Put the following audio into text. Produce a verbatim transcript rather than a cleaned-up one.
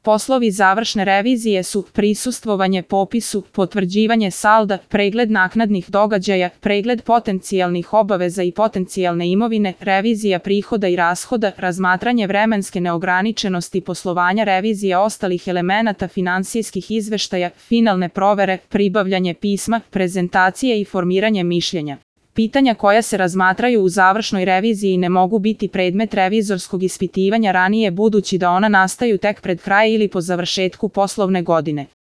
Poslovi završne revizije su prisustvovanje popisu, potvrđivanje salda, pregled naknadnih događaja, pregled potencijalnih obaveza i potencijalne imovine, revizija prihoda i rashoda, razmatranje vremenske neograničenosti poslovanja, revizija ostalih elemenata finansijskih izveštaja, finalne provere, pribavljanje pisma, prezentacije i formiranje mišljenja. Pitanja koja se razmatraju u završnoj reviziji ne mogu biti predmet revizorskog ispitivanja ranije budući da ona nastaju tek pred kraj ili po završetku poslovne godine.